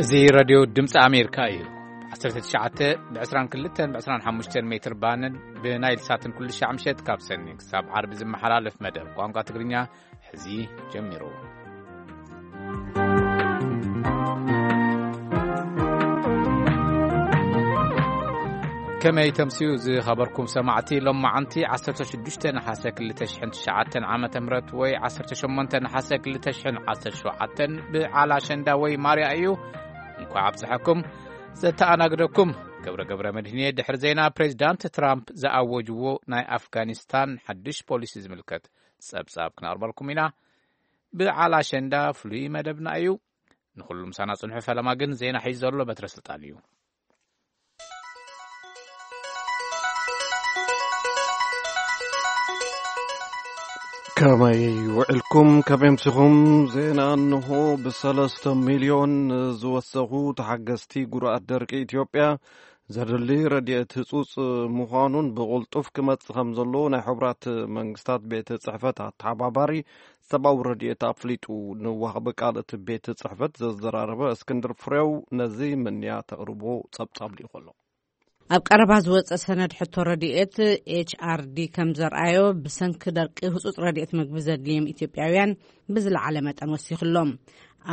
እዚ ሬድዮ ድምፂ ኣሜሪካ እዩ። ዓሰርተ ትሽዓተ ብ ዕስራን ክልተን ብ ዕስራን ሓሙሽተን ሜትር ባንድ ብናይል ሳትን ኩሉ ሻዕ ምሸት ካብ ሰኒ ክሳብ ዓርቢ ዝመሓላለፍ መደብ ቋንቋ ትግርኛ ሕዚ ጀሚሩ። ከመይ ተምስዩ ዝኸበርኩም ሰማዕቲ? ሎማዓንቲ ዓሰርተ ሽዱሽተ ነሓሰ ክልተ ሽሕን ትሽዓተን ዓመተ ምህረት ወይ ዓሰርተ ሸሞንተ ነሓሰ ክልተ ሽሕን ዓሰርተ ሸውዓተን ብዓል ኣሸንዳ ወይ ማርያ እዩ። እንኳዕ ኣብፀሐኩም። ዘተኣናግደኩም ገብረ ገብረ መድህንየ። ድሕሪ ዜና ፕሬዚዳንት ትራምፕ ዝኣወጅዎ ናይ ኣፍጋኒስታን ሓድሽ ፖሊሲ ዝምልከት ጸብጻብ ክነቕርበልኩም ኢና። ብዓል ኣሸንዳ ፍሉይ መደብና እዩ። ንኹሉ ምሳና ጽንሑ። ፈለማ ግን ዜና ሒዙ ዘሎ በትረ ስልጣን እዩ። ከመይ ውዕልኩም? ከመይ ኣምሲኹም? ዜና እንሆ። ብሰለስተ ሚልዮን ዝወሰኹ ተሓገዝቲ ጉድኣት ደርቂ ኢትዮጵያ ዘድሊ ረድኤት ህጹጽ ምዃኑን ብቕልጡፍ ክመጽእ ከም ዘለዎ ናይ ሕቡራት መንግስታት ቤት ጽሕፈት ኣተሓባባሪ ሰብኣዊ ረድኤት ኣፍሊጡ። ንዋሃቢ ቃል እቲ ቤት ጽሕፈት ዘዘራረበ እስክንድር ፍሬው ነዚ ምንያ ተቕርቦ ጸብጻብ ልኢኹ ኣሎ። ኣብ ቀረባ ዝወጸ ሰነድ ሕቶ ረድኤት ኤች ኣር ዲ ከም ዘርኣዮ፣ ብሰንኪ ደርቂ ህጹጽ ረድኤት ምግቢ ዘድልዮም ኢትዮጵያውያን ብዝለዓለ መጠን ወሲኹሎም።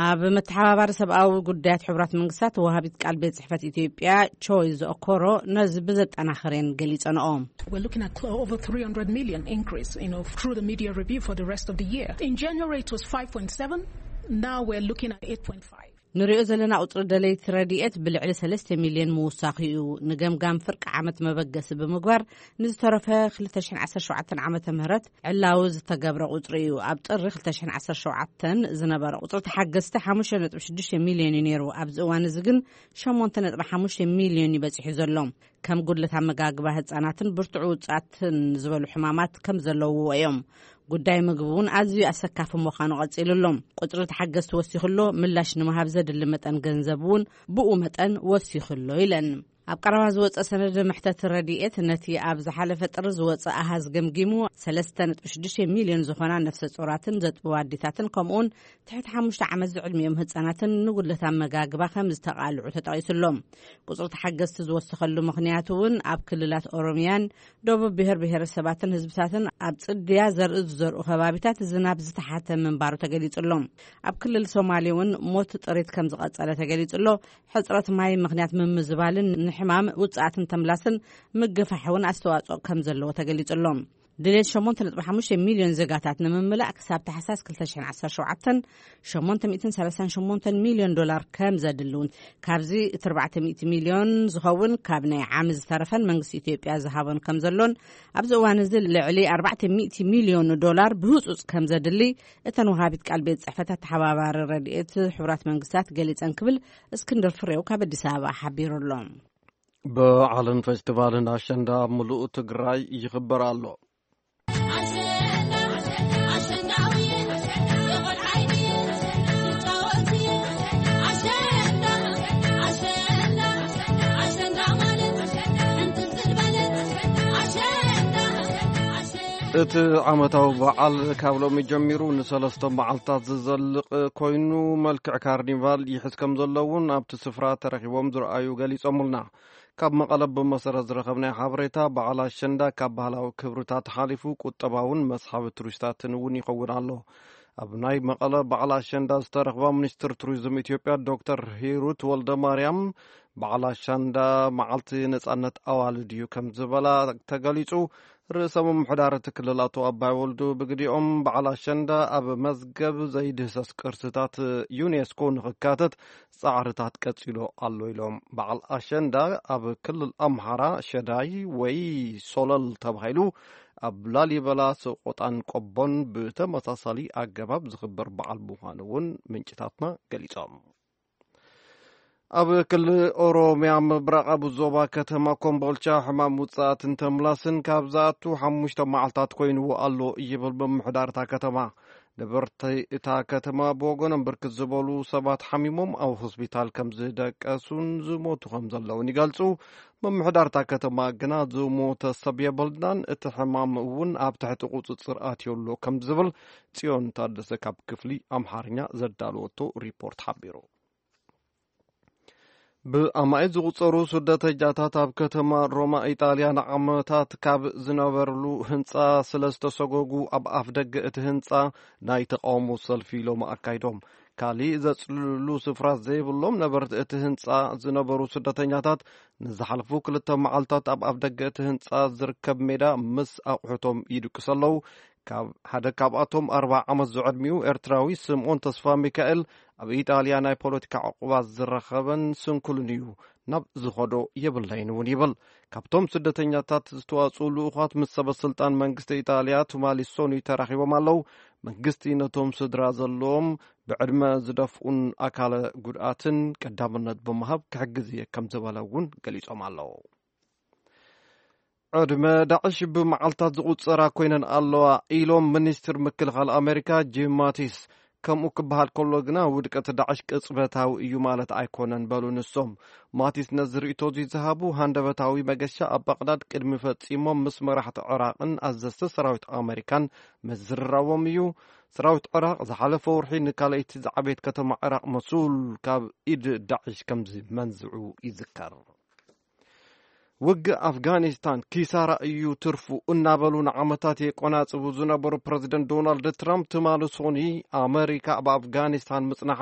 ኣብ መተሓባባሪ ሰብኣዊ ጉዳያት ሕቡራት መንግስታት ወሃቢት ቃል ቤት ጽሕፈት ኢትዮጵያ ቾይዝ ኦኮሮ ነዚ ብዘጠናኸረን ገሊጸንኦ። We're looking at clo- over three hundred million increase, you know, through the media review for the rest of the year. In January, it was five point seven. Now we're looking at eight point five. ንሪኦ ዘለና ቁጽሪ ደለይቲ ረድኤት ብልዕሊ ሰለስተ ሚልዮን ምውሳኹ እዩ። ንገምጋም ፍርቂ ዓመት መበገሲ ብምግባር ንዝተረፈ ክልተ ሽሕን ዓሰርተ ሸውዓተን ዓመተ ምህረት ዕላዊ ዝተገብረ ቁጽሪ እዩ። ኣብ ጥሪ ክልተ ሽሕን ዓሰርተ ሸውዓተን ዝነበረ ቁጽሪ ተሓገዝቲ ሓሙሽተ ነጥቢ ሽዱሽተ ሚልዮን እዩ ነይሩ። ኣብዚ እዋን እዚ ግን ሸሞንተ ነጥቢ ሓሙሽተ ሚልዮን እዩ በጺሑ ዘሎ። ከም ጉድለት ኣመጋግባ ህጻናትን ብርቱዕ ውጽኣትን ዝበሉ ሕማማት ከም ዘለውዎ እዮም። ጉዳይ ምግቢ እውን ኣዝዩ ኣሰካፊ ምዃኑ ቀጺሉ ኣሎ። ቁጽሪ ተሓገዝቲ ወሲኹ ኣሎ፣ ምላሽ ንምሃብ ዘድሊ መጠን ገንዘብ እውን ብኡ መጠን ወሲኹ ኣሎ ኢለን። ኣብ ቀረባ ዝወጸ ሰነድ መሕተት ረድኤት ነቲ ኣብ ዝሓለፈ ጥሪ ዝወጸ ኣሃዝ ገምጊሙ፣ ሰለስተ ነጥቢ ሽዱሽተ ሚልዮን ዝኾና ነፍሰ ጾራትን ዘጥብዋ ኣዴታትን ከምኡውን ትሕቲ ሓሙሽተ ዓመት ዝዕድሚኦም ህጻናትን ንጉድለት ኣመጋግባ ከም ዝተቓልዑ ተጠቒሱ ኣሎ። ቁጽሪ ተሓገዝቲ ዝወሰኸሉ ምኽንያት እውን ኣብ ክልላት ኦሮሚያን ደቡብ ብሔር ብሔረሰባትን ህዝብታትን ኣብ ጽድያ ዘርኢ ዝዘርኡ ከባቢታት ዝናብ ዝተሓተ ምንባሩ ተገሊጹ ኣሎ። ኣብ ክልል ሶማሌ እውን ሞት ጥሪት ከም ዝቐጸለ ተገሊጹ ኣሎ። ሕጽረት ማይ ምኽንያት ምምዝባልን ንሕማም ውጽኣትን ተምላስን ምግፋሕ እውን ኣስተዋጽኦ ከም ዘለዎ ተገሊጹ ኣሎ። ድሌት ሸሞንተ ነጥቢ ሓሙሽተ ሚልዮን ዜጋታት ንምምላእ ክሳብ ታሕሳስ ክልተ ሽሕን ዓሰርተ ሸውዓተን ሸሞንተ ሚእትን ሰላሳን ሸሞንተን ሚልዮን ዶላር ከም ዘድሊ እውን፣ ካብዚ እቲ ኣርባዕተ ሚእቲ ሚልዮን ዝኸውን ካብ ናይ ዓሚ ዝተረፈን መንግስቲ ኢትዮጵያ ዝሃቦን ከም ዘሎን፣ ኣብዚ እዋን እዚ ልዕሊ ኣርባዕተ ሚእቲ ሚልዮን ዶላር ብህጹጽ ከም ዘድሊ እተን ወሃቢት ቃል ቤት ጽሕፈት ኣተሓባባሪ ረድኤት ሕቡራት መንግስታት ገሊጸን ክብል እስክንድር ፍሬው ካብ ኣዲስ ኣበባ ሓቢሩ ኣሎ። በዓልን ፌስቲቫልን ኣሸንዳ ኣብ ምሉእ ትግራይ ይኽበር ኣሎ። እቲ ዓመታዊ በዓል ካብ ሎሚ ጀሚሩ ንሰለስተ መዓልታት ዝዘልቕ ኮይኑ፣ መልክዕ ካርኒቫል ይሕዝ ከም ዘሎ እውን ኣብቲ ስፍራ ተረኺቦም ዝረኣዩ ገሊጾምልና። ካብ መቐለ ብመሰረት ዝረኸብናዮ ሓበሬታ፣ በዓል ኣሸንዳ ካብ ባህላዊ ክብርታት ሓሊፉ ቁጠባውን መስሓቢ ቱሪስታትን እውን ይኸውን ኣሎ። ኣብ ናይ መቐለ በዓል ኣሸንዳ ዝተረኽባ ሚኒስትር ቱሪዝም ኢትዮጵያ ዶክተር ሂሩት ወልደ ማርያም፣ በዓል ኣሸንዳ መዓልቲ ነጻነት ኣዋልድ እዩ ከም ዝበላ ተገሊጹ። ርእሰ ምምሕዳር እቲ ክልል ኣቶ ኣባይ ወልዱ ብግዲኦም፣ በዓል ኣሸንዳ ኣብ መዝገብ ዘይድህሰስ ቅርስታት ዩኔስኮ ንኽካተት ጻዕርታት ቀጺሎ ኣሎ ኢሎም። በዓል ኣሸንዳ ኣብ ክልል ኣምሓራ ሸዳይ ወይ ሶለል ተባሂሉ፣ ኣብ ላሊበላ፣ ሰቆጣን ቆቦን ብተመሳሳሊ ኣገባብ ዝኽበር በዓል ምዃኑ እውን ምንጭታትና ገሊጾም። ኣብ ክልል ኦሮምያ ምብራቓዊ ዞባ ከተማ ኮምቦልቻ ሕማም ውጽኣትን ተምላስን ካብ ዝኣቱ ሓሙሽተ መዓልታት ኮይንዎ ኣሎ ይብል ምምሕዳር እታ ከተማ። ነበርቲ እታ ከተማ ብወገኖም ብርክት ዝበሉ ሰባት ሓሚሞም ኣብ ሆስፒታል ከም ዝደቀሱን ዝሞቱ ከም ዘለውን ይገልጹ። ምምሕዳር እታ ከተማ ግና ዝሞተ ሰብ የብልናን፣ እቲ ሕማም እውን ኣብ ትሕቲ ቁጽጽር ኣትዩ ኣሎ ከም ዝብል ጽዮን ታደሰ ካብ ክፍሊ ኣምሓርኛ ዘዳለወቶ ሪፖርት ሓቢሩ። ብኣማኢት ዝቑጸሩ ስደተኛታት ኣብ ከተማ ሮማ ኢጣልያ ንዓመታት ካብ ዝነበርሉ ህንጻ ስለ ዝተሰጎጉ፣ ኣብ ኣፍ ደገ እቲ ህንጻ ናይ ተቃውሞ ሰልፊ ሎም ኣካይዶም። ካሊእ ዘጽልሉ ስፍራ ዘይብሎም ነበርቲ እቲ ህንጻ ዝነበሩ ስደተኛታት፣ ንዝሓለፉ ክልተ መዓልታት ኣብ ኣፍ ደገ እቲ ህንጻ ዝርከብ ሜዳ ምስ ኣቑሑቶም ይድቅሱ ኣለዉ። ካብ ሓደ ካብኣቶም ኣርብዓ ዓመት ዝዕድሚኡ ኤርትራዊ ስምኦን ተስፋ ሚካኤል፣ ኣብ ኢጣልያ ናይ ፖለቲካ ዕቁባት ዝረኸበን ስንኩልን እዩ። ናብ ዝኸዶ የብለይን እውን ይብል። ካብቶም ስደተኛታት ዝተዋጽኡ ልኡኻት ምስ ሰበ ስልጣን መንግስቲ ኢጣልያ ቱማሊሶኒ ተራኺቦም ኣለዉ። መንግስቲ ነቶም ስድራ ዘለዎም ብዕድመ ዝደፍኡን ኣካለ ጉድኣትን ቀዳምነት ብምሃብ ክሕግዝ እየ ከም ዝበለ እውን ገሊጾም ኣለዉ። ዕድመ ዳዕሽ ብመዓልታት ዝቑጸራ ኮይነን ኣለዋ ኢሎም ሚኒስትር ምክልኻል ኣሜሪካ ጂም ማቲስ። ከምኡ ክበሃል ከሎ ግና ውድቀት ዳዕሽ ቅጽበታዊ እዩ ማለት ኣይኮነን በሉ ንሶም። ማቲስ ነዚ ርእይቶ እዚ ዝሃቡ ሃንደበታዊ መገሻ ኣብ ባቕዳድ ቅድሚ ፈጺሞም ምስ መራሕቲ ዕራቕን ኣዘዝቲ ሰራዊት ኣሜሪካን ምዝርራቦም እዩ። ሰራዊት ዕራቕ ዝሓለፈ ወርሒ ንካልኣይቲ ዝዓበየት ከተማ ዕራቕ መሱል ካብ ኢድ ዳዕሽ ከም ዝመንዝዑ ይዝከር። ውግእ ኣፍጋኒስታን ኪሳራ እዩ ትርፉ እናበሉ ንዓመታት የቆናጽቡ ዝነበሩ ፕረዚደንት ዶናልድ ትራምፕ፣ ትማሊ ሶኒ ኣመሪካ ኣብ ኣፍጋኒስታን ምጽናሓ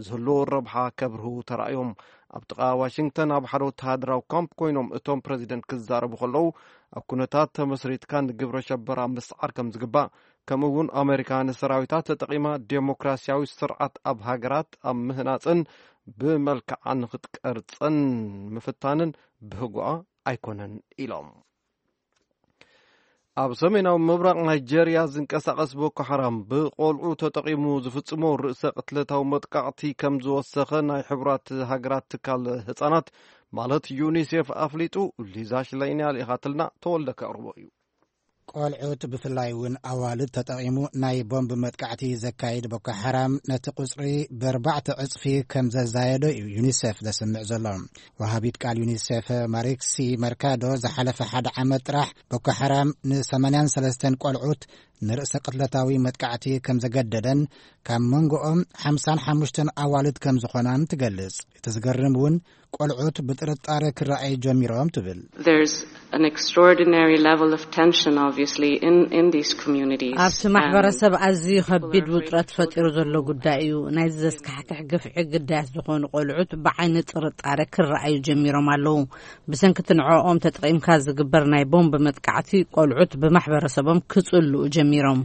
ዘለዎ ረብሓ ከብርሁ ተራእዮም። ኣብ ጥቓ ዋሽንግተን ኣብ ሓደ ወተሃደራዊ ካምፕ ኮይኖም እቶም ፕረዚደንት ክዛረቡ ከለዉ፣ ኣብ ኩነታት ተመስሪትካ ንግብረ ሸበራ ምስዓር ከም ዝግባእ፣ ከምኡ እውን ኣመሪካ ንሰራዊታ ተጠቒማ ዴሞክራሲያዊ ስርዓት ኣብ ሃገራት ኣብ ምህናጽን ብመልክዓ ንክትቀርጸን ምፍታንን ብህጉኣ ኣይኮነን ኢሎም። ኣብ ሰሜናዊ ምብራቕ ናይጀርያ ዝንቀሳቐስ ቦኮ ሓራም ብቆልዑ ተጠቒሙ ዝፍጽሞ ርእሰ ቅትለታዊ መጥቃዕቲ ከም ዝወሰኸ ናይ ሕቡራት ሃገራት ትካል ህጻናት ማለት ዩኒሴፍ ኣፍሊጡ። ሊዛ ሽላይንያ ልኢኻትልና፣ ተወልደ ከቕርቦ እዩ። ቆልዑት ብፍላይ እውን ኣዋልድ ተጠቒሙ ናይ ቦምብ መጥቃዕቲ ዘካይድ ቦኮ ሓራም ነቲ ቁጽሪ ብኣርባዕተ ዕጽፊ ከም ዘዛየዶ እዩ ዩኒሴፍ ዘስምዕ ዘሎ። ወሃቢት ቃል ዩኒሴፍ ማሪክሲ መርካዶ ዝሓለፈ ሓደ ዓመት ጥራሕ ቦኮ ሓራም ን83 ቆልዑት ንርእሰ ቅትለታዊ መጥቃዕቲ ከም ዘገደደን ካብ መንጎኦም ሓምሳን ሓሙሽተን ኣዋልድ ከም ዝኾናን ትገልጽ። እቲ ዝገርም እውን ቆልዑት ብጥርጣረ ክረኣዩ ጀሚሮም ትብል። There's an extraordinary level of tension, obviously, in, in these communities. ኣብቲ ማሕበረሰብ ኣዝዩ ከቢድ ውጥረት ፈጢሩ ዘሎ ጉዳይ እዩ። ናይዚ ዘስካሕክሕ ግፍዒ ግዳያት ዝኾኑ ቆልዑት ብዓይኒ ጥርጣረ ክረኣዩ ጀሚሮም ኣለዉ። ብሰንኪ እቲ ንዕኦም ተጠቒምካ ዝግበር ናይ ቦምብ መጥቃዕቲ ቆልዑት ብማሕበረሰቦም ክጽልኡ ጀሚሮም።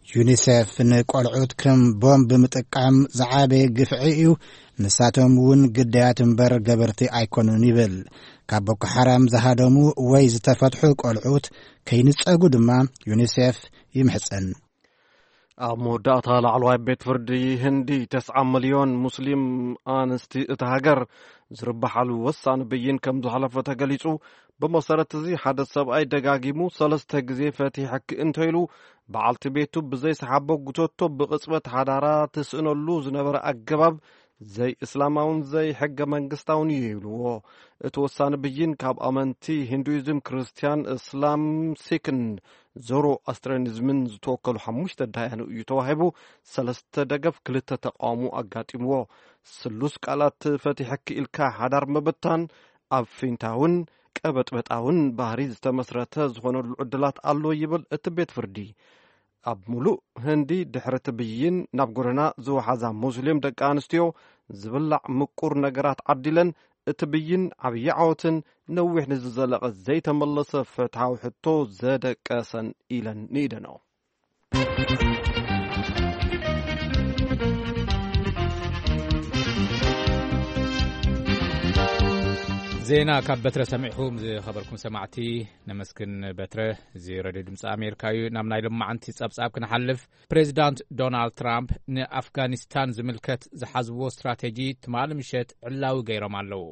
ዩኒሴፍ ንቆልዑት ከም ቦምብ ምጥቃም ዝዓበየ ግፍዒ እዩ፣ ንሳቶም እውን ግዳያት እምበር ገበርቲ ኣይኮኑን ይብል። ካብ ቦኮ ሓራም ዝሃደሙ ወይ ዝተፈትሑ ቆልዑት ከይንጸጉ ድማ ዩኒሴፍ ይምሕጸን። ኣብ መወዳእታ፣ ላዕለዋይ ቤት ፍርዲ ህንዲ ተስዓ ሚልዮን ሙስሊም ኣንስቲ እታ ሃገር ዝርብሓሉ ወሳኒ ብይን ከም ዝሓለፈ ተገሊጹ። ብመሰረት እዚ፣ ሓደ ሰብኣይ ደጋጊሙ ሰለስተ ግዜ ፈቲሐኪ እንተኢሉ፣ በዓልቲ ቤቱ ብዘይ ሰሓቦ ጉተቶ ብቕጽበት ሓዳራ ትስእነሉ ዝነበረ ኣገባብ ዘይእስላማውን ዘይሕገ መንግስታውን እዩ ይብልዎ። እቲ ወሳኒ ብይን ካብ ኣመንቲ ሂንዱይዝም፣ ክርስትያን፣ እስላም፣ ሲክን ዞሮ ኣስትራኒዝምን ዝተወከሉ ሓሙሽተ ዳያኑ እዩ ተዋሂቡ። ሰለስተ ደገፍ፣ ክልተ ተቃውሞ ኣጋጢምዎ። ስሉስ ቃላት፣ ፈቲሐኪ ኢልካ ሓዳር ምብታን፣ ኣብ ፊንታውን ቀበጥበጣውን ባህሪ ዝተመስረተ ዝኾነሉ ዕድላት ኣሎ ይብል እቲ ቤት ፍርዲ። ኣብ ሙሉእ ህንዲ ድሕሪ እቲ ብይን ናብ ጎደና ዝወሓዛ ሙስሊም ደቂ ኣንስትዮ ዝብላዕ ምቁር ነገራት ዓዲለን፣ እቲ ብይን ዓብዪ ዓወትን ነዊሕ ንዝዘለቐ ዘይተመለሰ ፍትሓዊ ሕቶ ዘደቀሰን ኢለን ንኢደንኦ። ዜና ካብ በትረ ሰሚዕኹም ዝኸበርኩም ሰማዕቲ ነመስግን። በትረ፣ እዚ ሬድዮ ድምፂ ኣሜሪካ እዩ። ናብ ናይ ሎማዓንቲ ጸብጻብ ክንሓልፍ፣ ፕሬዚዳንት ዶናልድ ትራምፕ ንኣፍጋኒስታን ዝምልከት ዝሓዝዎ ስትራቴጂ ትማሊ ምሸት ዕላዊ ገይሮም ኣለዉ።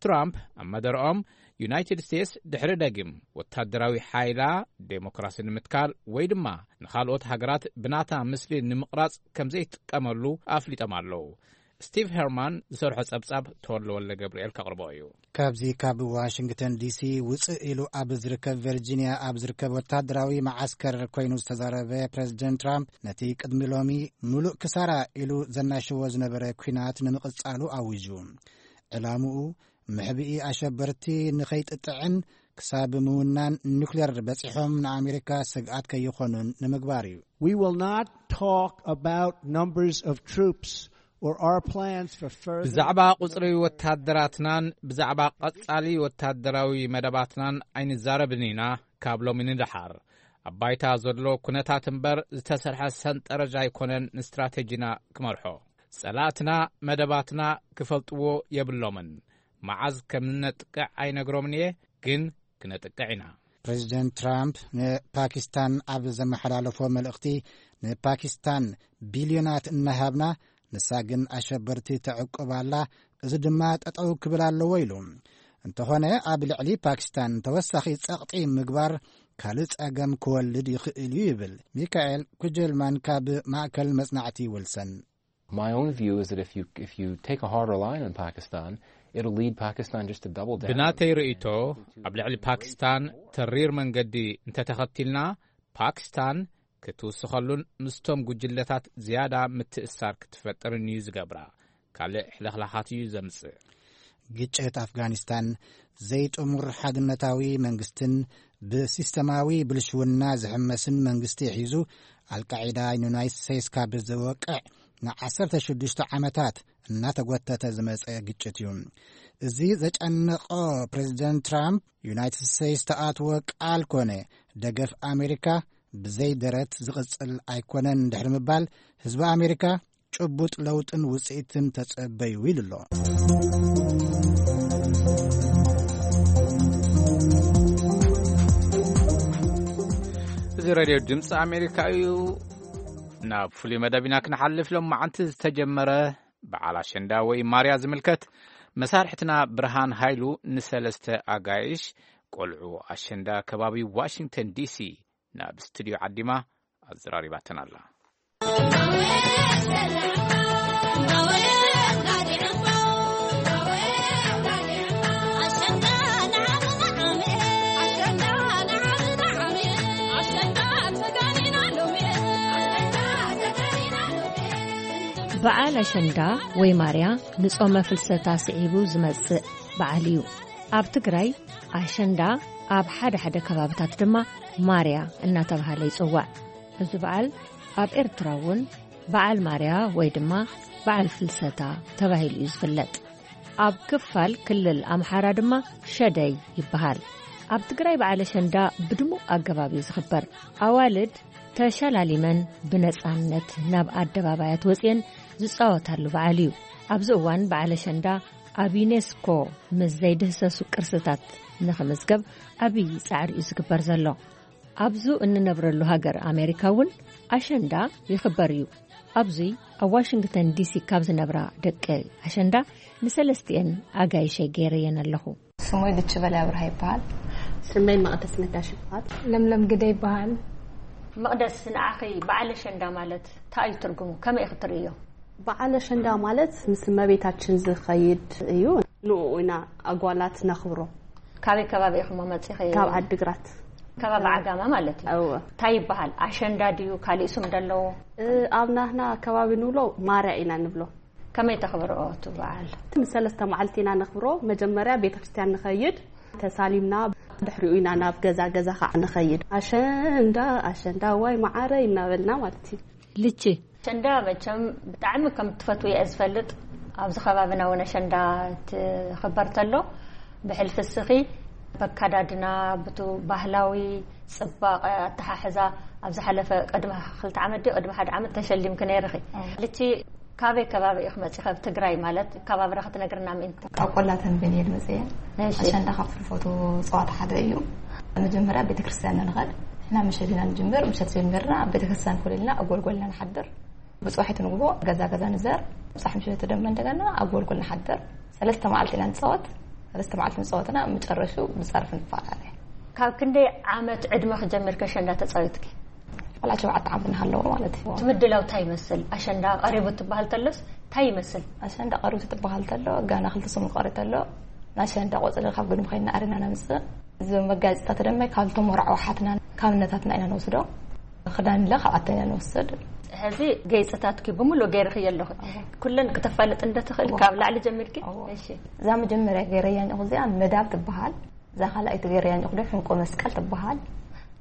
ትራምፕ ኣብ መደረኦም፣ ዩናይትድ ስቴትስ ድሕሪ ደጊም ወታደራዊ ሓይላ ዴሞክራሲ ንምትካል ወይ ድማ ንኻልኦት ሃገራት ብናታ ምስሊ ንምቕራጽ ከም ዘይትጥቀመሉ ኣፍሊጦም ኣለዉ። ስቲቭ ሄርማን ዝሰርሖ ጸብጻብ ተወልደ ወልደ ገብርኤል ከቕርቦ እዩ። ካብዚ ካብ ዋሽንግተን ዲሲ ውፅእ ኢሉ ኣብ ዝርከብ ቨርጂኒያ ኣብ ዝርከብ ወታደራዊ መዓስከር ኮይኑ ዝተዛረበ ፕሬዚደንት ትራምፕ፣ ነቲ ቅድሚ ሎሚ ምሉእ ክሳራ ኢሉ ዘናሽዎ ዝነበረ ኲናት ንምቕጻሉ ኣዊጁ። ዕላምኡ ምሕብኢ ኣሸበርቲ ንኸይጥጥዕን ክሳብ ምውናን ኒውክሌር በጺሖም ንኣሜሪካ ስግኣት ከይኾኑን ንምግባር እዩ። We will not talk about numbers of troops or our plans for further ብዛዕባ ቁጽሪ ወታደራትናን ብዛዕባ ቀጻሊ ወታደራዊ መደባትናን ኣይንዛረብን ኢና። ካብ ሎሚ ንደሓር ኣብ ባይታ ዘሎ ኩነታት እምበር ዝተሰርሐ ሰንጠረዥ ኣይኮነን ንስትራቴጂና ክመርሖ። ጸላእትና መደባትና ክፈልጥዎ የብሎምን። መዓዝ ከም ንነጥቅዕ ኣይነግሮምን እየ፣ ግን ክነጥቅዕ ኢና። ፕሬዚደንት ትራምፕ ንፓኪስታን ኣብ ዘመሓላለፎ መልእኽቲ፣ ንፓኪስታን ቢልዮናት እናሃብና፣ ንሳ ግን ኣሸበርቲ ተዕቁብ ኣላ፣ እዚ ድማ ጠጠው ክብል ኣለዎ ኢሉ። እንተኾነ ኣብ ልዕሊ ፓኪስታን ተወሳኺ ጸቕጢ ምግባር ካልእ ጸገም ክወልድ ይኽእል እዩ ይብል ሚካኤል ኩጀልማን ካብ ማእከል መጽናዕቲ ዊልሰን። My own view is that if you, if you take a harder line on Pakistan, it'll lead Pakistan just to double down. ብናተይ ርእይቶ፣ ኣብ ልዕሊ ፓኪስታን ተሪር መንገዲ እንተተኸቲልና፣ ፓኪስታን ክትውስኸሉን ምስቶም ጉጅለታት ዝያዳ ምትእሳር ክትፈጥርን እዩ ዝገብራ። ካልእ ሕልኽላኻት እዩ ዘምጽእ። ግጭት ኣፍጋኒስታን ዘይጥሙር ሓድነታዊ መንግስትን ብሲስተማዊ ብልሽውና ዝሕመስን መንግስቲ ሒዙ፣ ኣልቃዒዳ ንዩናይትድ ስቴትስ ካብ ዝወቅዕ ንዓሰርተ ሽዱሽተ ዓመታት እናተጎተተ ዝመጸ ግጭት እዩ። እዚ ዘጨነቆ ፕሬዚደንት ትራምፕ፣ ዩናይትድ ስቴትስ ተኣትዎ ቃል ኮነ ደገፍ ኣሜሪካ ብዘይ ደረት ዝቕጽል ኣይኮነን ድሕሪ ምባል፣ ህዝቢ ኣሜሪካ ጭቡጥ ለውጥን ውጽኢትን ተጸበዩ ኢሉ ኣሎ። እዚ ሬድዮ ድምፂ ኣሜሪካ እዩ። ናብ ፍሉይ መደብ ኢና ክንሓልፍ። ሎም መዓንቲ ዝተጀመረ በዓል ኣሸንዳ ወይ ማርያ ዝምልከት፣ መሳርሕትና ብርሃን ሃይሉ ንሰለስተ ኣጋይሽ ቆልዑ ኣሸንዳ ከባቢ ዋሽንግተን ዲሲ ናብ ስቱዲዮ ዓዲማ ኣዘራሪባተን ኣላ። በዓል ኣሸንዳ ወይ ማርያ ንጾመ ፍልሰታ ስዒቡ ዝመጽእ በዓል እዩ። ኣብ ትግራይ ኣሸንዳ፣ ኣብ ሓደ ሓደ ከባብታት ድማ ማርያ እናተባህለ ይጽዋዕ። እዚ በዓል ኣብ ኤርትራ እውን በዓል ማርያ ወይ ድማ በዓል ፍልሰታ ተባሂሉ እዩ ዝፍለጥ። ኣብ ክፋል ክልል ኣምሓራ ድማ ሸደይ ይበሃል። ኣብ ትግራይ በዓል ኣሸንዳ ብድሙቕ ኣገባብ እዩ ዝኽበር። ኣዋልድ ተሸላሊመን ብነጻነት ናብ ኣደባባያት ወጺኤን ዝጻወታሉ በዓል እዩ። ኣብዚ እዋን በዓል ኣሸንዳ ኣብ ዩኔስኮ ምስ ዘይድህሰሱ ቅርስታት ንኽምዝገብ ዓብዪ ጻዕሪ እዩ ዝግበር ዘሎ። ኣብዙ እንነብረሉ ሃገር ኣሜሪካ እውን ኣሸንዳ ይኽበር እዩ። ኣብዚ ኣብ ዋሽንግተን ዲሲ ካብ ዝነብራ ደቂ ኣሸንዳ ንሰለስቲኤን ኣጋይሸይ ገይረየን ኣለኹ። ስሞይ ልቺ በላይ ኣብርሃ ይበሃል። ስመይ መቕደስ ነጋሽ ይበሃል። ለምለም ግደ ይበሃል። መቕደስ፣ ንዓኺ በዓል ኣሸንዳ ማለት እንታይ እዩ ትርጉሙ? ከመይ ኢኺ ትርእዮ? በዓል ኣሸንዳ ማለት ምስ እመቤታችን ዝኸይድ እዩ። ንኡ ኢና ኣጓላት ነኽብሮ። ካበይ ከባቢ ኢኹም መጺኺ? ካብ ዓድግራት። ከባቢ ዓጋመ ማለት እዩ። እወ። እንታይ ይበሃል? ኣሸንዳ ድዩ? ካሊእ ስም ደለዎ? እ፣ ኣብ ናህና ከባቢ ንብሎ ማርያ ኢና ንብሎ። ከመይ ተኽብርኦ እቲ በዓል? ሰለስተ መዓልቲ ኢና ነኽብሮ። መጀመርያ ቤተክርስትያን ንኸይድ፣ ተሳሊምና፣ ድሕሪኡ ኢና ናብ ገዛ ገዛ ከዓ ንኸይድ። ኣሸንዳ፣ ኣሸንዳ፣ ዋይ መዓረይ እናበልና ማለት እዩ። ልቺ። ኣሸንዳ መቸም ብጣዕሚ ከም ትፈትው እየ ዝፈልጥ። ኣብዚ ከባቢና እውን ኣሸንዳ ትኽበር ተሎ፣ ብሕልፊ እስኺ በካዳድና፣ ብቱ ባህላዊ ጽባቐ ኣተሓሕዛ፣ ኣብ ዝሓለፈ ቅድሚ ክልተ ዓመት ድዩ ቅድሚ ሓደ ዓመት ተሸሊምኪ ነይርኺ። ኣዎ። ልቺ፣ ካበይ ከባቢ ኢኺ መጺኺ? ኣብ ትግራይ ማለት ከባብራ ክትነግርና ምእንቲ። ካብ ቆላ ተንቤን እየ ዝመጽእ እየ። እሺ። ኣሸንዳ ካብ ትፈትዎ ጸዋታ ሓደ እዩ። መጀመርያ ቤተክርስትያን ንኸድ። ንሕና ምሸት ኢና ንጅምር። ምሸት ጀሚርና ኣብ ቤተክርስትያን ኮለልና ኣብ ጎልጎልና ንሓድር። ብጽባሒቱ ንግሆ ገዛ ገዛ ንዘር። ብጻሕ ምሸት ደማ እንደገና ኣብ ጎልጎል ንሓድር። ሰለስተ መዓልቲ ኢና ንጻወት። ሰለስተ መዓልቲ ንጻወትና፣ መጨረሹ ብጸርፊ ንፈላለ። ካብ ክንደይ ዓመት ዕድመ ክጀምር ከሸንዳ ተጻዊትኪ? ቆልዓ ሸውዓተ ዓመት እናሃለዎ ማለት እዩ። እቲ ምድላው እንታይ ይመስል? ኣሸንዳ ቀሪቡ ትበሃል ተሎስ እንታይ ይመስል? ኣሸንዳ ቀሪቡ ትበሃል ተሎ፣ ጋና ክልተ ሰሙን ቀሪ ተሎ፣ ናይ ኣሸንዳ ቆጽሊ ካብ ግድሚ ኮይንና ኣሪና ነምጽእ። እዚ መጋየጽታት ድማ ካብ ተመርዓዊ ሓትና ካብ እነታትና ኢና ንወስዶ። ክዳን ኢለ ካብኣተን ኢና ንወስድ። ሕዚ ገይፅታትኪ ብምሉእ ገይርኽዮ ኣለኹ። ኩለን ክተፋልጥ እንደትኽእል ካብ ላዕሊ ጀሚርኪ? እሺ። እዛ መጀመርያ ገይረያ እዚኣ መዳብ ትበሃል። እዛ ካልኣይቲ ገይረያ ዶ ሕንቆ መስቀል ትበሃል።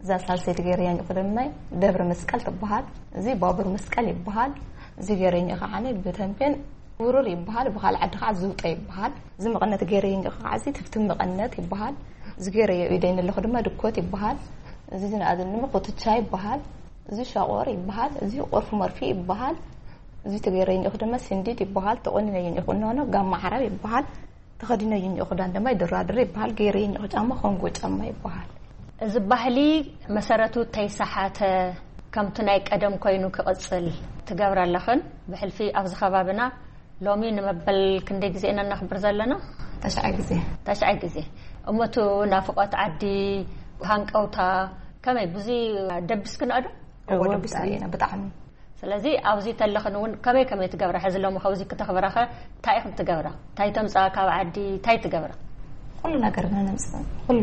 እዛ ሳልሰይቲ ገይረያ ድማ ደብረ መስቀል ትበሃል። እዚ ባቡር መስቀል ይበሃል። እዚ ገይረያ ከዓ ብተምቤን ውርር ይበሃል። ብኻልእ ዓዲ ከዓ ዝውጠ ይበሃል። እዚ መቐነት ገይረያ ከዓ እዚ ትፍትም መቐነት ይበሃል። እዚ ገይረዮ ኢደይ ኣለኹ ድማ ድኮት ይበሃል። እዚ ዝነኣድን ድማ ኮትቻ ይበሃል። እዚ ሻቆር ይበሃል። እዚ ቆርፊ መርፊ ይበሃል። እዚ ተገይረዮ ድማ ስንዲድ ይበሃል። ተቆኒነዮ እኒኦ ቁኖ ጋማ ዓረብ ይበሃል። ተኸዲነዮ እኒኦ ክዳን ድማ ይደራድር ይበሃል። ገይረዮ እኒኦ ጫማ ኮንጎ ጫማ ይበሃል። እዚ ባህሊ መሰረቱ ተይሰሓተ፣ ከምቲ ናይ ቀደም ኮይኑ ክቕጽል ትገብራ ኣለኽን። ብሕልፊ ኣብዚ ከባብና ሎሚ ንመበል ክንደይ ግዜ ኢና እናኽብር ዘለና? ተሽዓይ ግዜ። ተሽዓይ ግዜ። እሞ እቲ ናፍቖት ዓዲ፣ ሃንቀውታ ከመይ ብዙ ደቢስክንኦ ዶ? እዎ፣ ደቢስና ኢና ብጣዕሚ። ስለዚ ኣብዚ ተለኽን እውን ከመይ ከመይ ትገብራ? ሕዚ ሎሚ ከብዚ ክተኽብራኸ እንታይ ኢኽን ትገብራ? እንታይ ተምፅኣ ካብ ዓዲ? እንታይ ትገብራ? ኩሉ ነገር ኢና ነምፅእ። ኩሉ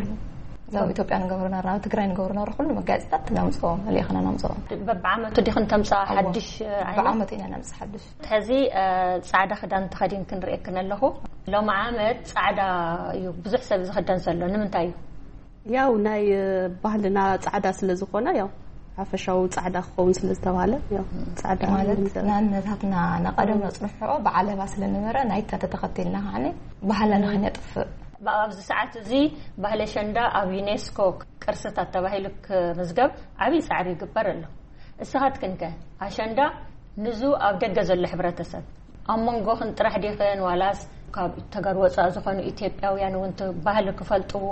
እዛ ኣብ ኢትዮጵያ ንገብሮ ነራ፣ ኣብ ትግራይ ንገብሮ ነራ፣ ኩሉ መጋየፅታት ነምፅኦ፣ መሊእኽና ነምፅኦ። በብዓመቱ ዲኽን ተምፅኣ እዎ። ሓድሽ ዓይነት? በብዓመቱ ኢና ነምፅእ ሓድሽ። ሕዚ፣ እ፣ ጻዕዳ ክዳን ተኸዲንክን ርእየክን ኣለኹ። ሎሚ ዓመት ጻዕዳ እዩ ብዙሕ ሰብ ዝኽደን ዘሎ። ንምንታይ እዩ? ያው ናይ፣ እ፣ ባህልና ጻዕዳ ስለ ዝኾነ፣ ያው ሓፈሻዊ ጻዕዳ ክኸውን ስለ ዝተባህለ፣ ያው ጻዕዳ ማለት ንግበር። ናነታትና ናቀደም ነጽንሖ ብዓለባ ስለ ነበረ ናይታ ተተኸቲልና ከዓኒ ባህልና ከነጥፍእ። ብ-፣ ኣብዚ ሰዓት እዚ ባህሊ ኣሸንዳ ኣብ ዩኔስኮ ቅርስታት ተባሂሉ ክምዝገብ ዓብዪ ጻዕሪ ይግበር ኣሎ። እስኻትክን ከ ኣሸንዳ ንዙ ኣብ ደገ ዘሎ ሕብረተሰብ ኣብ መንጎኽን ጥራሕ ዲኽን ዋላስ ካብ ተጋሩ ወፃእ ዝኾኑ ኢትዮጵያውያን እውን እቲ ባህሊ ክፈልጥዎ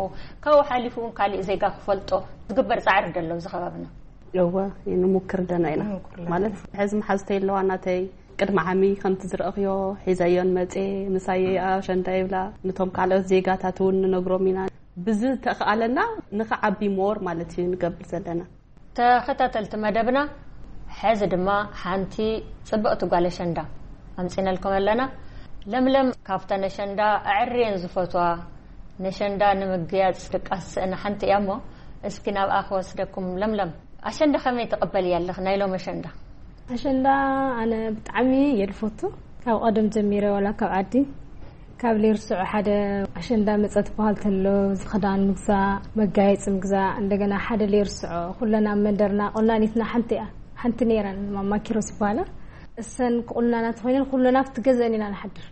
ካብኡ ሓሊፉ እውን ካሊእ ዜጋ ክፈልጦ ዝግበር ጻዕሪ ዶ ኣሎ ኣብዚ ከባብና? እወ፣ ንሙክር ደና ኢና። ንሙክር ኣለና። ማለት ሕዚ መሓዝተይ ኣለዋ ናተይ ቅድሚ ዓሚ ከምቲ ዝረእኽዮ ሒዘዮን መጼ ምሳየ ኣሸንዳ ይብላ። ነቶም ካልኦት ዜጋታት እውን ንነግሮም ኢና። ብዝተኻእለና ንኽዓቢ ሞር ማለት እዩ ንገብር ዘለና። ተኸታተልቲ መደብና፣ ሕዚ ድማ ሓንቲ ጽብቕቲ ጓል ኣሸንዳ ኣምጺእናልኩም ኣለና። ለምለም ካብተን ኣሸንዳ ኣዕርየን ዝፈትዋ፣ ነሸንዳ ንምግያጽ ድቃስ ስእና ሓንቲ እያ እሞ፣ እስኪ ናብኣ ክወስደኩም። ለምለም፣ ኣሸንዳ ከመይ ትቕበልያ ኣለኺ? ናይ ሎሚ ኣሸንዳ? ኣሸንዳ ኣነ ብጣዕሚ እየ ዝፈቱ። ካብ ቀደም ጀሚረ ዋላ ካብ ዓዲ ካብ ሌርስዖ ሓደ ኣሸንዳ መጸ ትበሃል ተሎ፣ እዚ ክዳን ምግዛእ፣ መጋየጺ ምግዛእ፣ እንደገና ሓደ ሌርስዖ ኩለን ኣብ መንደርና ቆናኒትና ሓንቲ እያ፣ ሓንቲ ነይረን ማማ ኪሮስ ይበሃላ። እሰን ክቑናና ተኾይነን ኩለን ኣብቲ ገዘአን ኢና ንሓድር።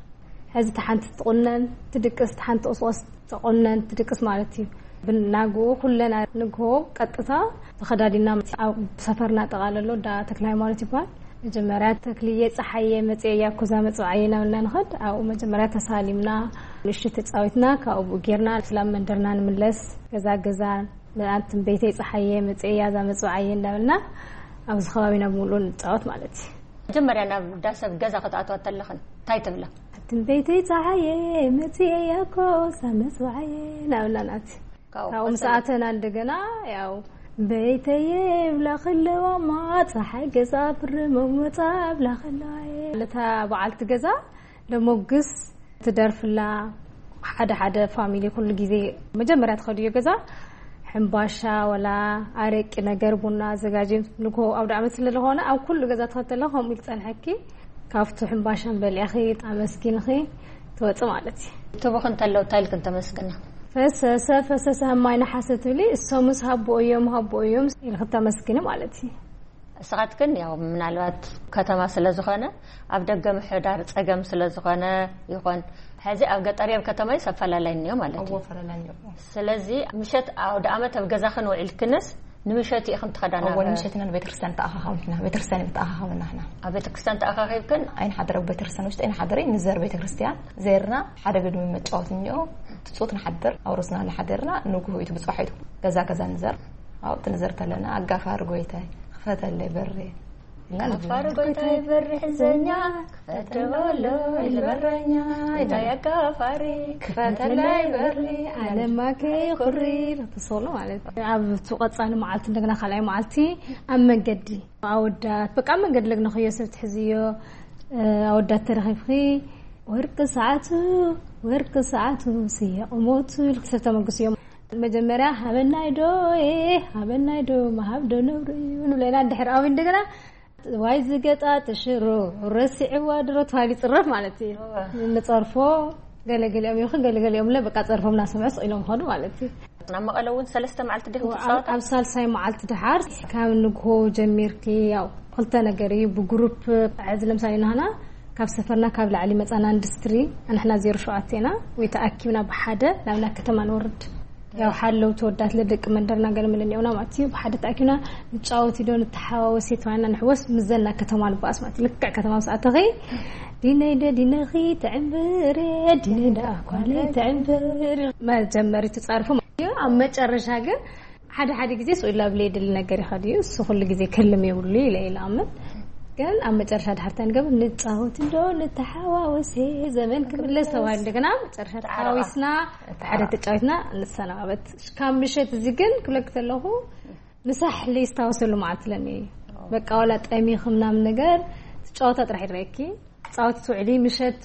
ሕዚ እቲ ሓንቲ ትቑነን ትድቅስ፣ እቲ ሓንቲ ቁስቆስ ትቑነን ትድቅስ ማለት እዩ። ብናግኡ ኩለን ንግሆ ቀጥታ ተኸዳዲና ኣብ ሰፈርና ጠቓለሎ ዳ ተክለ ሃይማኖት ይበሃል። መጀመርያ ተክልየ ጸሓየ መጽየ ያኮዛ መጽዋዕየ እናበልና ንኸድ። ኣብኡ መጀመርያ ተሳሊምና፣ ንእሽቶ ተጻዊትና፣ ካብኡ ጌርና ስላም መንደርና ንምለስ። ገዛ ገዛ ንኣንትን ቤተይ ጸሓየ መጽየ ያዛ መጽዋዕየ እናበልና ኣብዚ ከባቢና ብምሉእ ንጻወት ማለት እዩ። መጀመርያ ናብ ዳ ሰብ ገዛ ክትኣትዋ ተለኽን እንታይ ትብላ? ኣትን ቤተይ ጸሓየ መጽየ ያኮዛ መጽዋዕየ እናበልና ናት ካብኡ ካብኡ ምስ ቀጸለ። ኣተና እንደገና ያው ቤተየ ይብላ ከለዋማ ጸሓይ ገዛ ብርመሞጻ ብላ ከለዋ እየ። ነታ በዓልቲ ገዛ ለሞግስ ትደርፍላ። ሓደ ሓደ ፋሚሊ ኩሉ ግዜ መጀመርያ ትኸድዮ ገዛ ሕምባሻ ወላ ኣረቂ ነገር ቡና ኣዘጋጅ ንግሆ ኣውደ ዓመት ስለ ዝኾነ ኣብ ኩሉ ገዛ ትኸተላ ከምኡ ኢሉ ጸንሐኪ። ካብቲ ሕምባሻን በሊዕኺ ኣመስጊንኺ ትወጽእ ማለት እዩ። ትቡኽ እንተሎ እንታይ ኢልክን ተመስግና? ፈሰሰ ፈሰሰ ማይ ነሓሰ ትብሊ፣ እሶምስ ሃቦ እዮም ሃቦ እዮም ኢልኺ ተመስግኒ ማለት እዩ። እስኻትክን ያው ምናልባት ከተማ ስለ ዝኾነ ኣብ ደገ ምሕዳር ጸገም ስለ ዝኾነ ይኾን። ሕዚ ኣብ ገጠር ኣብ ከተማ እዩ ኣፈላላይ እኒኦ ማለት እዩ። እዎ፣ ኣፈላላይ እኒኦ። ስለዚ ምሸት ኣውደ ዓመት ኣብ ገዛኽን ውዒልክንስ ንምሸት ኢኽን ትኸዳ እዎ፣ ናብ ንምሸት ኢና ንቤተክርስትያን ተኣኻኻቢና፣ ቤተክርስትያን እዩ ተኣኻኻብና ንሕና። ኣብ ቤተክርስትያን ተኣኻኺብክን? ኣይንሓድር ኣብ ቤተክርስትያን ውሽጢ ኣይንሓድር፣ ንዘር ቤተክርስትያን ዘርና ሓደ ግድሚ መጫወት እኒኦ፣ ትጹት ንሓድር፣ ኣብ ርስና እናሓደርና ንግሆ እዩ ትብጽሖ እዩ። ገዛ ገዛ ንዘር፣ ኣብኡ ትንዘር ተለና፣ "ኣጋፋሪ ጎይታይ፣ ክፈተለይ በሪ" ኢልና ንብል። "ኣጋፋሪ ጎይታይ በሪ ሕዘኛ፣ ክፈተለይ በረኛ፣ እንታይ ኣጋፋሪ፣ ክፈተለይ በሪ፣ ኣለማ ከይኩሪ" ትስሎ ማለት። ኣብ እቲ ቀጻሊ መዓልቲ እንደገና ካልኣይ መዓልቲ ኣብ መንገዲ ኣወዳት፣ በቃ ኣብ መንገዲ ለግነኽዮ ሰብ ትሕዝዮ፣ እ፣ ኣወዳት ተረኺብኺ፣ ወርቂ ሰዓቱ፣ ወርቂ ሰዓቱ፣ ስየ ቁመቱ ኢልኪ ሰብ ተመግስዮ። መጀመርያ ሃበናይ ዶ፣ ኤ፣ ሃበናይ ዶ፣ ምሃብ ዶ ነውሪ እዩ ንብለና። ድሕሪ ኣብኡ እንደገና ዋይ ዝገጣ ትሽሮ ረሲዕዋ ድሮ ተባሂሉ ይፅረፍ ማለት እዩ። ንፀርፎ ገለገሊኦም ይኹን ገለገሊኦም ለ በቃ ፀርፎም እናሰምዑ ስቕ ኢሎም ኾኑ ማለት እዩ። ናብ መቐለ እውን ሰለስተ መዓልቲ ዲኹም ትፃወቱ? ኣብ ሳልሳይ መዓልቲ ድሓር ካብ ንግሆ ጀሚርኪ ያው ክልተ ነገር እዩ። ብግሩፕ ሕዚ ለምሳሌ ናህና ካብ ሰፈርና ካብ ላዕሊ መፃና ኢንዱስትሪ፣ ንሕና ዜሮ ሸውዓተ ኢና ወይ ተኣኪብና ብሓደ ናብ ናይ ከተማ ንወርድ። ያው ሓለው ተወዳት ለደቂ መንደርና ገለ መለ እኒኦና ማለት እዩ። ብሓደ ተኣኪብና ንጫወት ዶ ንተሓዋወስ ተባሂልና ንሕወስ ምዘና ከተማ ንባኣስ ማለት እዩ። ልክዕ ከተማ ምስ ኣተኸይ ዲነይ ደ ዲነኺ ትዕምብር ዲነይ ደ ኣኳለይ ትዕምብር መጀመሪ ትጻርፉ ማለት እዩ። ኣብ መጨረሻ ግን ሓደ ሓደ ግዜ ስኡላ ብለይ ድል ነገር ይኸድ እዩ። እሱ ኩሉ ግዜ ክልም የብሉ ኢለ ኢለ ኣምን። ግን ኣብ መጨረሻ ድሓርታ ንገብር ንጻወት እንዶ ንተሓዋወስ ዘመን ክምለስ ተባሂሉ እንደገና መጨረሻ ተሓዋዊስና ሓደ ተጫዊትና ንሰናበት። ካብ ምሸት እዚ ግን ክብለክ ዘለኹ ንሳሕሊ ስታወሰሉ መዓልቲ ለኒ በቃ ዋላ ጠሚኺ ምናምን ነገር ትጫወታ ጥራሕ ይረኪ። ጻወት ትውዕሊ ምሸት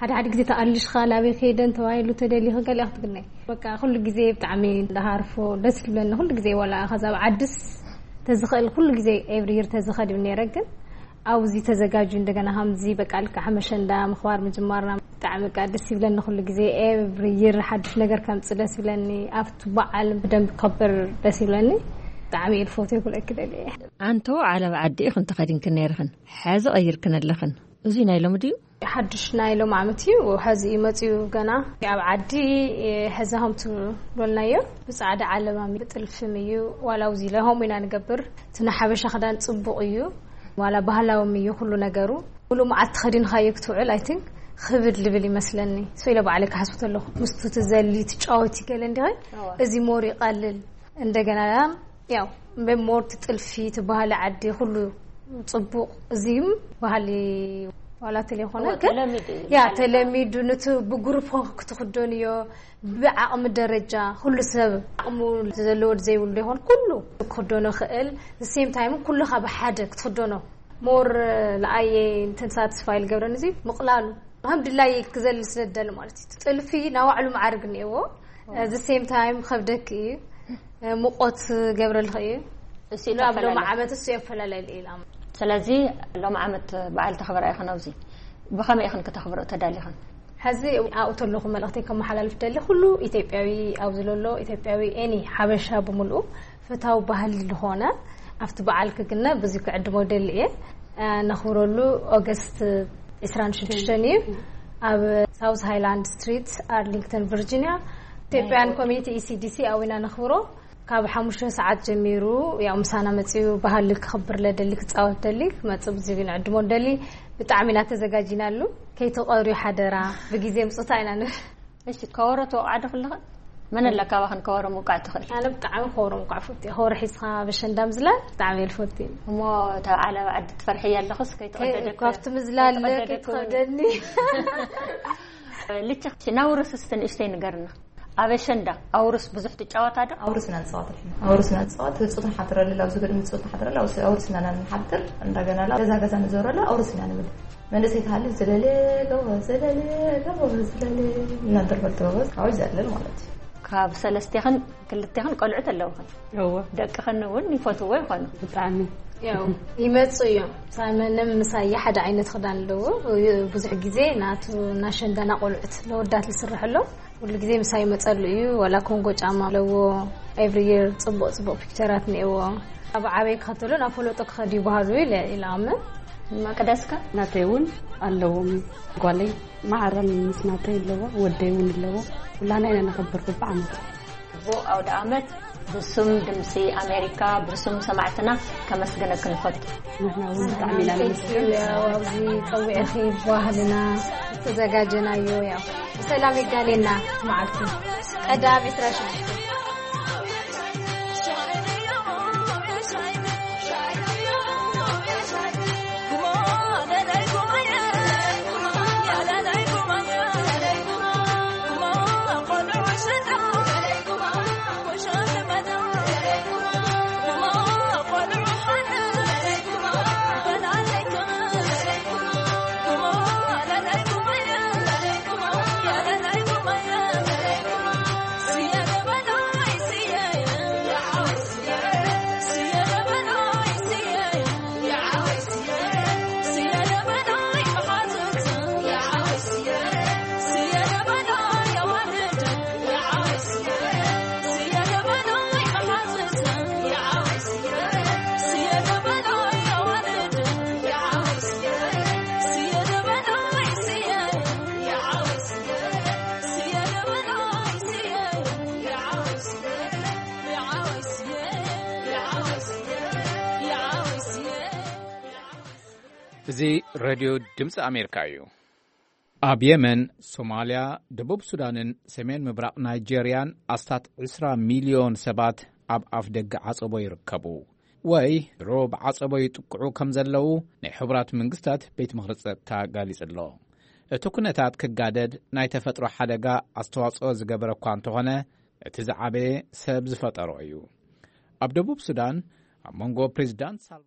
ሓደ ሓደ ግዜ ተኣልሽኻ ናበይ ከይደን ተባሂሉ ተደሊኺ ገሊኣ ክትግነይ በቃ ኩሉ ግዜ ብጣዕሚ እንዳሃርፎ ደስ ይብለኒ። ኩሉ ግዜ ዋላ ከዛ ኣብ ዓድስ ተዝኽእል ኩሉ ግዜ ኤቭሪ ይር ተዝኸድ ይብል ነይረ። ግን ኣብዚ ተዘጋጁ እንደገና ከምዚ በቃ ልክዕ ሓመሸንዳ ምኽባር ምጅማርና ብጣዕሚ በቃ ደስ ይብለኒ። ኩሉ ግዜ ኤቭሪ ይር ሓድሽ ነገር ከምጽእ ደስ ይብለኒ። ኣብቲ በዓል ብደንብ ከብር ደስ ይብለኒ። ብጣዕሚ እየ ዝፈትዮ ክብለኪ ደልየ። ኣንቶ ዓለብ ዓዲ ኢኽን ተኸዲንክን ነይርኽን፣ ሕዚ ቀይርክን ኣለኽን። እዙይ ናይ ሎሚ ድዩ? ሓድሽ ናይ ሎም ዓመት እዩ። ሕዚ እዩ መፅዩ ገና። ኣብ ዓዲ ሕዚ ከም ትብልናዮ ብፃዕዳ ዓለማም ብጥልፍም እዩ። ዋላ ኣብዚ ኢለ ከምኡ ኢና ንገብር። እቲ ናይ ሓበሻ ክዳን ፅቡቕ እዩ። ዋላ ባህላውም እዩ ኩሉ ነገሩ። ሙሉ መዓልቲ ከዲንካዮ ክትውዕል ኣይ ቲንክ ክብድ ልብል ይመስለኒ። ሶ ኢለ ባዕለይ ክሓስቡ ተለኹ ምስቱ ትዘሊ ትጫወቲ ገለ እንዲኸ እዚ ሞር ይቐልል። እንደገና ያው ሞር ትጥልፊ ትበሃሊ ዓዲ ኩሉ ጽቡቕ። እዚም ባህሊ ዋላ ተለይኮነ እወ፣ ግን ተለሚዱ እዩ። ያ ተለሚዱ ነቲ ብግሩፕ ክትኽደንዮ ብዓቕሚ ደረጃ ኩሉ ሰብ ዓቕሙ ዘለዎ ዘይብሉ ይኾን ኩሉ ክኽደኖ ክእል። ሴም ታይም ኩልኻ ብሓደ ክትኽደኖ ሞር ለኣየ እንትን ሳትስፋይ ልገብረን እዚ ምቕላሉ ከም ድላይ ክዘል ስለ ደል ማለት እዩ። ጥልፊ ናባዕሉ መዓርግ እኒአዎ። እዚ ሴም ታይም ከብደክ እዩ፣ ሙቆት ገብረልክ እዩ። እሱ እዩ ኣብ ሎሚ ተፈላለዩ። ዓመት እሱ የፈላለዩ ኢላ። ስለዚ ሎም ዓመት በዓል ተኽብራ ኢኽን ኣብዚ ብኸመይ ኢኽን ከተኽብሮ ተዳሊኽን? ሕዚ ኣብኡ ተለኹ መልእኽተይ ከመሓላልፍ ደሊ ኩሉ ኢትዮጵያዊ ኣብዚ ዘሎ ኢትዮጵያዊ ኤኒ ሓበሻ ብምልኡ ፈታዊ ባህሊ ዝኾነ ኣብቲ በዓል ክግነ ብዙ ክዕድሞ ደሊ እየ። ነኽብረሉ ኦገስት ዕስራን ሽዱሽተን እዩ። ኣብ ሳውዝ ሃይላንድ ስትሪት ኣርሊንግተን ቨርጂኒያ ኢትዮጵያን ኮሚኒቲ ኢሲዲሲ ኣዊና ነኽብሮ። ካብ ሓሙሽተ ሰዓት ጀሚሩ ያው ምሳና መጺኡ ባህሊ ክኽብር ለደሊ ክጻወት ደሊ ክመጽእ ብዙ ንዕድሞ ደሊ ብጣዕሚ ኢና ተዘጋጂናሉ። ከይተቐርዩ ሓደራ ብግዜ ምጹታ ኢና ንብል። እሺ ከወሮ ትወቕዓ ዶ ክለኽን? መን ኣላ ካባኽን ከወሮ ምውቃዕ ትኽእል? ኣነ ብጣዕሚ ከወሮ ምውቃዕ ፈትየ። ከወሮ ሒዝኻ በሸንዳ ምዝላል ብጣዕሚ እየ ዝፈቱ። እሞ እታ ዓለባ ዓዲ ትፈርሕያ ኣለኽስ ከይተቐደደ እኮ ኣብቲ ምዝላል ከይተቐደደ እኮ ከይትኸብደኒ። ልቸ ናውርስ እስቲ ንእሽተይ ንገርና። ኣብ ኣሸንዳ ኣውርስ ብዙሕ ትጫወታ ዶ? ኣውርስ ኢና ንጻወት ኣልሕምዱሊላህ። ኣውርስ ኢና ንጻወት። ህጹት ንሓድረሉ፣ ኣብዚ ግድሚ ህጹት ንሓድረሉ፣ ኣውርስ፣ ኣውርስ ኢና ንሓድር። እንደገና ላ ገዛ ገዛ ንዞረሉ ኣውርስ ኢና ንብል። መንእሰይ ተሃልዩ ዝለለ ገቦ፣ ዝለለ ገቦ፣ ዝለለ እናደርበል ተበበዝ ካብኡ ይዘልል ማለት እዩ። ካብ ሰለስቴኽን ክልቴኽን ቆልዑት ኣለውኽን? እወ። ደቅኽን እውን ይፈትዎ ይኾኑ? ብጣዕሚ። ያው ይመጹ እዮም። ሳመንም ምሳየ ሓደ ዓይነት ክዳን ኣለዎ። ብዙሕ ግዜ ናቱ እናሸንዳና ቆልዑት ለወዳት ዝስርሐሎም ኩሉ ግዜ ምሳይ ይመጸሉ እዩ። ዋላ ኮንጎ ጫማ ኣለዎ። ኤቭሪ ይር ጽቡቕ ጽቡቕ ፒክቸራት እኒአዎ። ኣብ ዓበይ ክኸተሎ ናብ ፈለጦ ክኸድ ይበሃሉ ኢለ ኢለ ኣምን። መቅደስከ? ናተይ እውን ኣለዎም። ጓለይ ማዕረን ምስ ናተይ ኣለዎ፣ ወደይ እውን ኣለዎ። ኩላና ኢና ነኸብር ብብዓመት። ጽቡቕ ኣውደ ኣመት። ብስም ድምፂ ኣሜሪካ፣ ብስም ሰማዕትና ከመስግነኪ ንፈቱ። ንሕና እውን ብጣዕሚ ኢና ነመስግን። ያው ኣብዚ ጸዊዕኺ ባህልና ዝተዘጋጀናዮ ያው ብሰላም የጋኔና መዓልቲ ቀዳም ዕስራ ሽዱሽተ። እዚ ሬድዮ ድምፂ ኣሜሪካ እዩ። ኣብ የመን፣ ሶማልያ፣ ደቡብ ሱዳንን ሰሜን ምብራቕ ናይጄርያን ኣስታት ዕስራ ሚልዮን ሰባት ኣብ ኣፍ ደገ ዓጸቦ ይርከቡ፣ ወይ ድሮ ብዓጸቦ ይጥቅዑ ከም ዘለዉ ናይ ሕቡራት መንግስታት ቤት ምኽሪ ጸጥታ ኣጋሊጹ ኣሎ። እቲ ኩነታት ክጋደድ ናይ ተፈጥሮ ሓደጋ ኣስተዋጽኦ ዝገበረ እኳ እንተኾነ፣ እቲ ዝዓበየ ሰብ ዝፈጠሮ እዩ። ኣብ ደቡብ ሱዳን፣ ኣብ መንጎ ፕሬዚዳንት ሳልቫ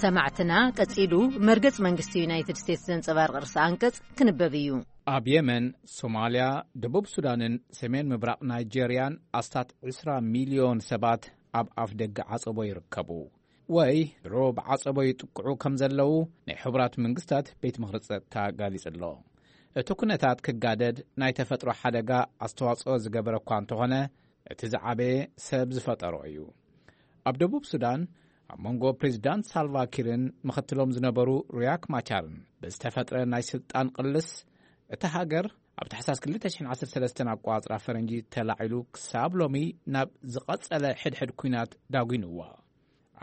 ሰማዕትና፣ ቀጺሉ መርገጽ መንግስቲ ዩናይትድ ስቴትስ ዘንጸባርቕ ርእሰ ኣንቀጽ ክንበብ እዩ። ኣብ የመን፣ ሶማልያ፣ ደቡብ ሱዳንን ሰሜን ምብራቕ ናይጄርያን ኣስታት ዕስራ ሚልዮን ሰባት ኣብ ኣፍ ደገ ዓጸቦ ይርከቡ፣ ወይ ድሮ ብዓጸቦ ይጥቅዑ ከም ዘለዉ ናይ ሕቡራት መንግስታት ቤት ምኽሪ ጸጥታ ኣጋሊጹ ኣሎ። እቲ ኩነታት ክጋደድ ናይ ተፈጥሮ ሓደጋ ኣስተዋጽኦ ዝገበረ እኳ እንተኾነ፣ እቲ ዝዓበየ ሰብ ዝፈጠሮ እዩ። ኣብ ደቡብ ሱዳን፣ ኣብ መንጎ ፕሬዚዳንት ሳልቫ ኪርን ምኽትሎም ዝነበሩ ሪያክ ማቻርን ብዝተፈጥረ ናይ ስልጣን ቅልስ፣ እታ ሃገር ኣብ ታሕሳስ ክልተ ሽሕን ዓሰርተ ሰለስተን ኣቋጽራ ፈረንጂ ተላዒሉ፣ ክሳብ ሎሚ ናብ ዝቐጸለ ሕድሕድ ኲናት ዳጒንዋ።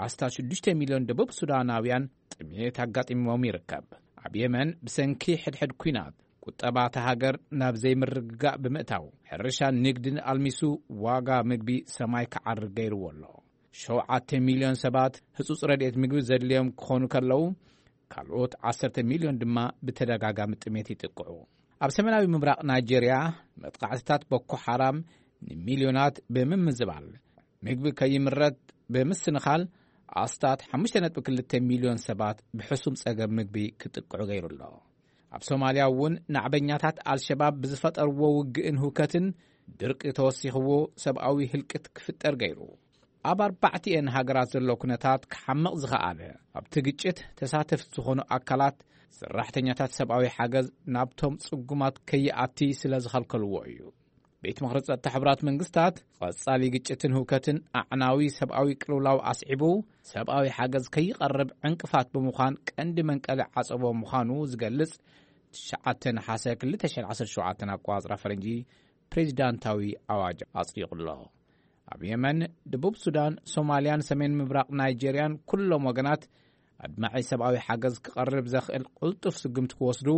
ኣስታት ሽዱሽተ ሚልዮን ደቡብ ሱዳናውያን ጥሜት ኣጋጢሞም ይርከብ። ኣብ የመን፣ ብሰንኪ ሕድሕድ ኲናት፣ ቁጠባ እታ ሃገር ናብ ዘይምርግጋእ ብምእታው፣ ሕርሻን ንግድን ኣልሚሱ፣ ዋጋ ምግቢ ሰማይ ክዓርግ ገይርዎ ኣሎ። ሸውዓተ ሚልዮን ሰባት ህጹጽ ረድኤት ምግቢ ዘድልዮም ክኾኑ ከለዉ፣ ካልኦት ዓሰርተ ሚልዮን ድማ ብተደጋጋሚ ጥሜት ይጥቅዑ። ኣብ ሰሜናዊ ምብራቕ ናይጄርያ፣ መጥቃዕትታት ቦኮ ሓራም ንሚልዮናት ብምምዝባል፣ ምግቢ ከይምረት ብምስንኻል፣ ኣስታት ሓሙሽተ ነጥቢ ክልተ ሚልዮን ሰባት ብሕሱም ጸገም ምግቢ ክጥቅዑ ገይሩ ኣሎ። ኣብ ሶማልያ እውን፣ ናዕበኛታት ኣልሸባብ ብዝፈጠርዎ ውግእን ህውከትን፣ ድርቂ ተወሲኽዎ፣ ሰብኣዊ ህልቂት ክፍጠር ገይሩ። ኣብ ኣርባዕቲኤን ሃገራት ዘሎ ኩነታት ክሓምቕ ዝኸኣለ፣ ኣብቲ ግጭት ተሳተፍቲ ዝኾኑ ኣካላት፣ ሰራሕተኛታት ሰብኣዊ ሓገዝ ናብቶም ጽጉማት ከይኣቲ ስለ ዝኸልከልዎ እዩ። ቤት ምኽሪ ጸጥታ ሕቡራት መንግስታት፣ ቀጻሊ ግጭትን ህውከትን ኣዕናዊ ሰብኣዊ ቅልውላው ኣስዒቡ፣ ሰብኣዊ ሓገዝ ከይቐርብ ዕንቅፋት ብምዃን፣ ቀንዲ መንቀሊ ዓጸቦ ምዃኑ ዝገልጽ፣ ትሽዓተ ነሓሰ ክልተ ሽሕን ዓሰርተ ሸውዓተን ኣቋጽራ ፈረንጂ፣ ፕሬዚዳንታዊ ኣዋጅ ኣጽዲቑ ኣሎ። ኣብ የመን፣ ደቡብ ሱዳን፣ ሶማልያን ሰሜን ምብራቕ ናይጄርያን ኩሎም ወገናት ኣድማዒ ሰብኣዊ ሓገዝ ክቐርብ ዘኽእል ቅልጡፍ ስጉምቲ ክወስዱ፣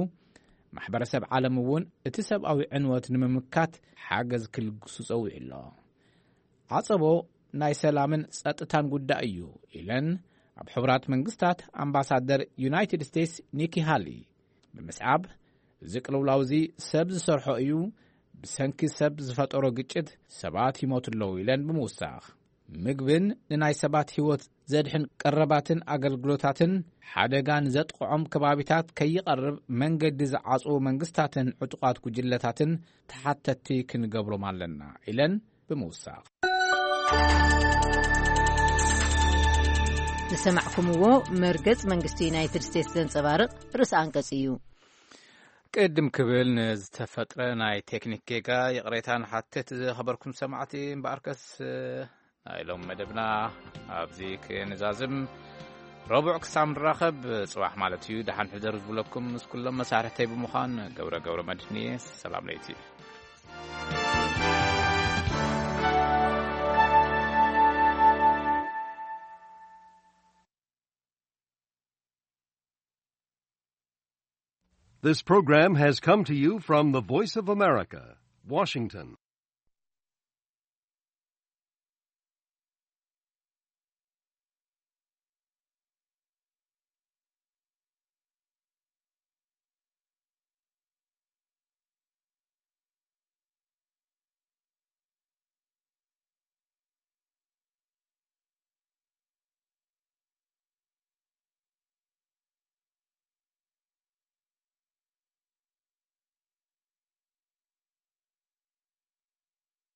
ማሕበረሰብ ዓለም እውን እቲ ሰብኣዊ ዕንወት ንምምካት ሓገዝ ክልግሱ ጸዊዑ ኣሎ። ዓጸቦ ናይ ሰላምን ጸጥታን ጉዳይ እዩ፣ ኢለን ኣብ ሕቡራት መንግስታት ኣምባሳደር ዩናይትድ ስቴትስ ኒኪ ሃሊ ብምስዓብ፣ እዚ ቅልውላው እዚ ሰብ ዝሰርሖ እዩ፣ ብሰንኪ ሰብ ዝፈጠሮ ግጭት ሰባት ይሞቱ ኣለዉ፣ ኢለን ብምውሳኽ፣ ምግብን ንናይ ሰባት ህይወት ዘድሕን ቀረባትን ኣገልግሎታትን ሓደጋ ንዘጥቕዖም ከባቢታት ከይቐርብ መንገዲ ዝዓጽዉ መንግስታትን ዕጡቓት ጉጅለታትን ተሓተትቲ ክንገብሮም ኣለና፣ ኢለን ብምውሳኽ። ዝሰማዕኩምዎ መርገጽ መንግስቲ ዩናይትድ ስቴትስ ዘንጸባርቕ ርእሰ ኣንቀጽ እዩ። ቅድም ክብል ንዝተፈጥረ ናይ ቴክኒክ ጌጋ ይቕሬታ ንሓትት፣ ዝኸበርኩም ሰማዕቲ። እምበኣርከስ፣ ናይ ሎም መደብና ኣብዚ ክንዛዝም፣ ረቡዕ ክሳብ ንራኸብ፣ ጽባሕ ማለት እዩ፣ ደሓን ሕደሩ ዝብለኩም ምስ ኩሎም መሳርሕተይ ብምዃን፣ ገብረ ገብረ መድህን እየ። ሰላም ለይቲ። This program has come to you from the Voice of America, Washington.